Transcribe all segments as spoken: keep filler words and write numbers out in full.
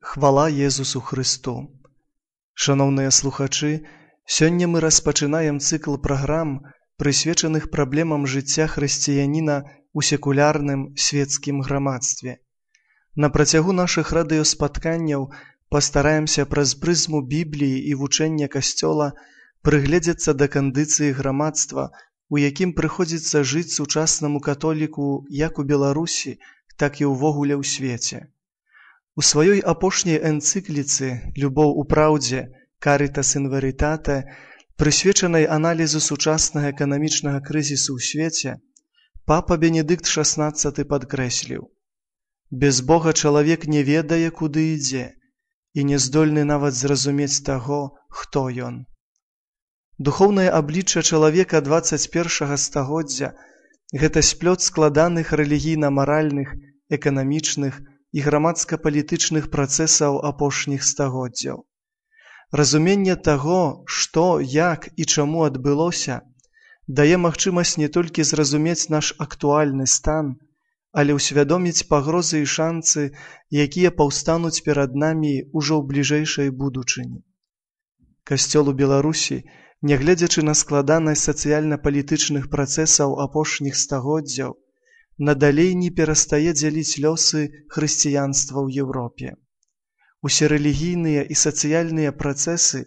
Хвала Езусу Христу! Шановныя слухачы, сёння мы распачынаем цыкл праграм, прысвечаных праблемам жыцця хрысціяніна ў секулярным свецкім грамадстве. На працягу нашых радыёспатканняў пастараемся праз прызму Бібліі і вучэння Касцёла прыгледзецца да кандыцыі грамадства, у якім прыходзіцца жыць сучаснаму католіку як у Беларусі, так і ўвогуле ў свеце. У сваёй апошняй энцыкліцы «Любоў у праўдзе» «Caritas in veritate», прысвечанай аналізу сучаснага эканамічнага крызісу ў свеце, папа Бенедыкт шаснаццаты падкрэсліў: «Без Бога чалавек не ведае, куды ідзе, і не здольны нават зразумець таго, хто ён». Духоўнае аблічча чалавека дваццаць першага стагоддзя – гэта сплёт складаных рэлігійна-маральных, эканамічных і грамадска-палітычных працэсаў апошніх стагоддзяў. Разуменне таго, што, як і чаму адбылося, дае магчымасць не толькі зразумець наш актуальны стан, але ўсвядоміць пагрозы і шанцы, якія паўстануць перад намі ўжо ў бліжэйшай будучыні. Касцёл у Беларусі, нягледзячы на складанасць сацыяльна-палітычных працэсаў апошніх стагоддзяў, надалей не перастае дзяліць лёсы хрысціянства ў Еўропе. Усе рэлігійныя і сацыяльныя працэсы,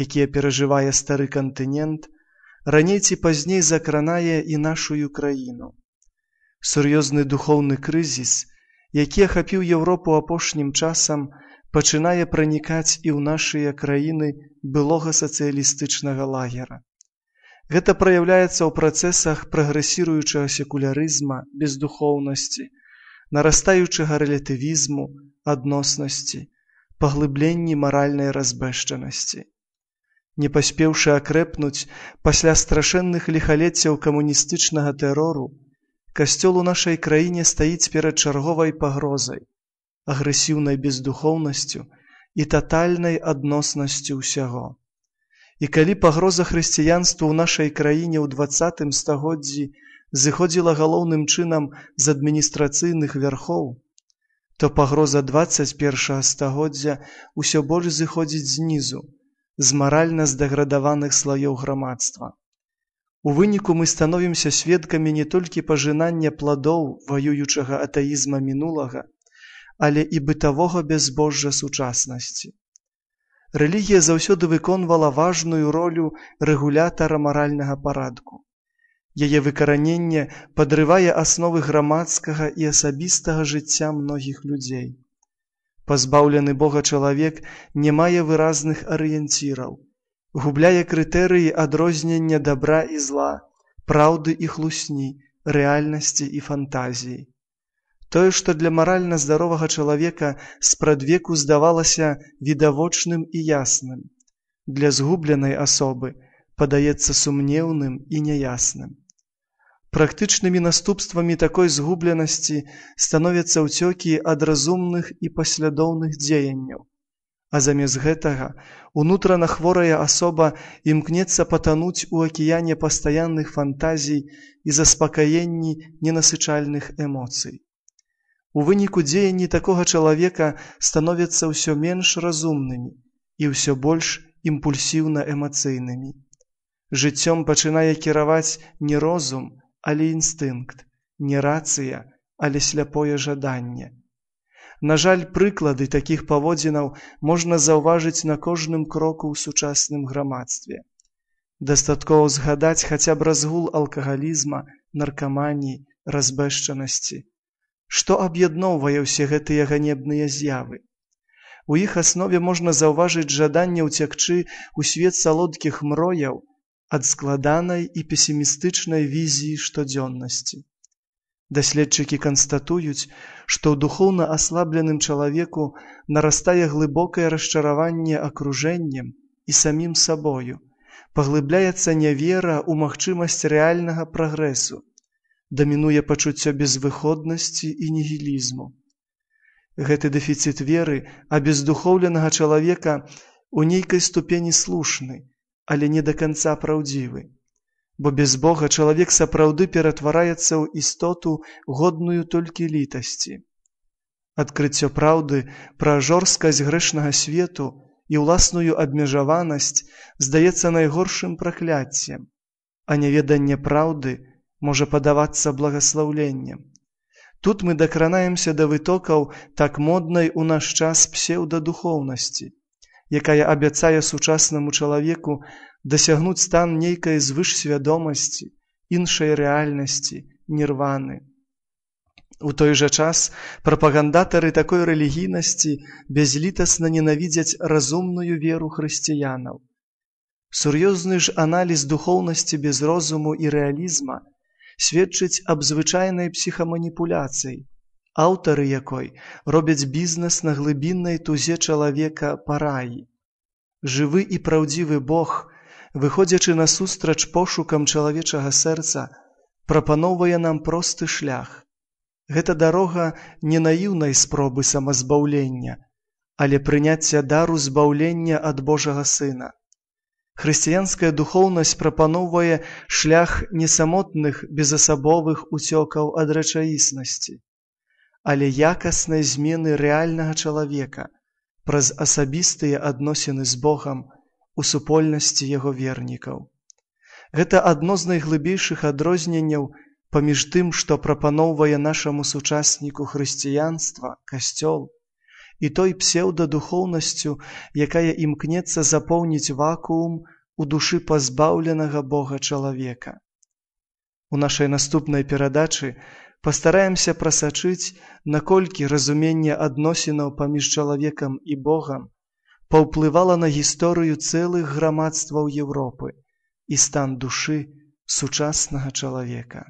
якія перажывае стары кантынент, раней ці пазней закранае і нашую краіну. Сур'ёзны духоўны крызіс, які ахапіў Еўропу апошнім часам, пачынае пранікаць і ў нашыя краіны былога сацыялістычнага лагера. Гэта праяўляецца ў працэсах прагрэсіруючага секулярызма, бездухоўнасці, нарастаючага рэлятывізму, адноснасці, паглыбленні маральнай разбэшчанасці. Не паспеўшы акрэпнуць пасля страшэнных ліхалеццяў камуністычнага тэрору, Касцёл у нашай краіне стаіць перад чарговай пагрозай, агрэсіўнай бездухоўнасцю і татальнай адноснасцю ўсяго. І калі пагроза хрысціянству ў нашай краіне ў дваццатым стагоддзі зыходзіла галоўным чынам з адміністрацыйных вярхоў, то пагроза дваццаць першага стагоддзя ўсё больш зыходзіць знізу, з маральна здаградаваных слаёў грамадства. У выніку мы становімся сведкамі не толькі пажынання пладоў ваюючага атэізма мінулага, але і бытавога бязбожжа сучаснасці. Рэлігія заўсёды выконвала важную ролю рэгулятара маральнага парадку. Яе выкараненне падрывае асновы грамадскага і асабістага жыцця многіх людзей. Пазбаўлены Бога чалавек не мае выразных арыенціраў, губляе крытэрыі адрознення дабра і зла, праўды і хлусні, рэальнасці і фантазіі. Тое, што для маральна здаровага чалавека спрадвеку здавалася відавочным і ясным, для згубленай асобы падаецца сумнеўным і няясным. Практычнымі наступствамі такой згубленасці становяцца ўцёкі ад разумных і паслядоўных дзеянняў, а замест гэтага унутрана хворая асоба імкнецца патануць у акіяне пастаянных фантазій і заспакаенні ненасычальных эмоцый. У выніку дзеянні такога чалавека становяцца ўсё менш разумнымі і ўсё больш імпульсіўна-эмацыйнымі. Жыццём пачынае кіраваць не розум, але інстынкт, не рацыя, але сляпое жаданне. На жаль, прыклады такіх паводзінаў можна заўважыць на кожным кроку ў сучасным грамадстве. Дастаткова згадаць хаця б разгул алкагалізма, наркаманіі, разбэшчанасці. Што аб'ядноўвае ўсе гэтыя ганебныя з'явы? У іх аснове можна заўважыць жаданне ўцякчы ў свет салодкіх мрояў ад складанай і песімістычнай візіі штодзённасці. Даследчыкі канстатуюць, што ў духоўна аслабленым чалавеку нарастае глыбокае расчараванне акружэннем і самім сабою, паглыбляецца нявера ў магчымасць рэальнага прагрэсу, дамінуе пачуццё безвыходнасці і нігілізму. Гэты дэфіцыт веры абездухоўленага чалавека у нейкай ступені слушны, але не да канца праўдзівы. Бо без Бога чалавек сапраўды ператвараецца ў істоту, годную толькі літасці. Адкрыццё праўды пра жорсткасць грэшнага свету і ўласную абмежаванасць здаецца найгоршым пракляццем, а няведанне праўды можа падавацца благаслаўленнем. Тут мы дакранаемся да вытокаў так моднай у наш час псеўдадухоўнасці, якая абяцае сучаснаму чалавеку дасягнуць стан нейкай звышсвядомасці, іншай рэальнасці, нірваны. У той жа час прапагандатары такой рэлігійнасці бязлітасна ненавідзяць разумную веру хрысціянаў. Сур'ёзны ж аналіз духоўнасці без розуму і рэалізма сведчыць аб звычайнай псіхаманіпуляцыі, аўтары якой робяць бізнес на глыбіннай тузе чалавека па раі. Жывы і праўдзівы Бог, выходзячы насустрач пошукам чалавечага сэрца, прапаноўвае нам просты шлях. Гэта дарога не наіўнай спробы самазбаўлення, але прыняцця дару збаўлення ад Божага Сына. Хрысціянская духоўнасць прапаноўвае шлях не самотных безасабовых уцёкаў ад рэчаіснасці, але якаснай змены рэальнага чалавека праз асабістыя адносіны з Богам у супольнасці яго вернікаў. Гэта адно з найглыбейшых адрозненняў паміж тым, што прапаноўвае нашаму сучасніку хрысціянства, касцёл, і той псеўдадухоўнасцю, якая імкнецца запоўніць вакуум у душы пазбаўленага Бога чалавека. У нашай наступнай перадачы пастараемся прасачыць, наколькі разуменне адносінаў паміж чалавекам і Богам паўплывала на гісторыю цэлых грамадстваў Еўропы і стан душы сучаснага чалавека.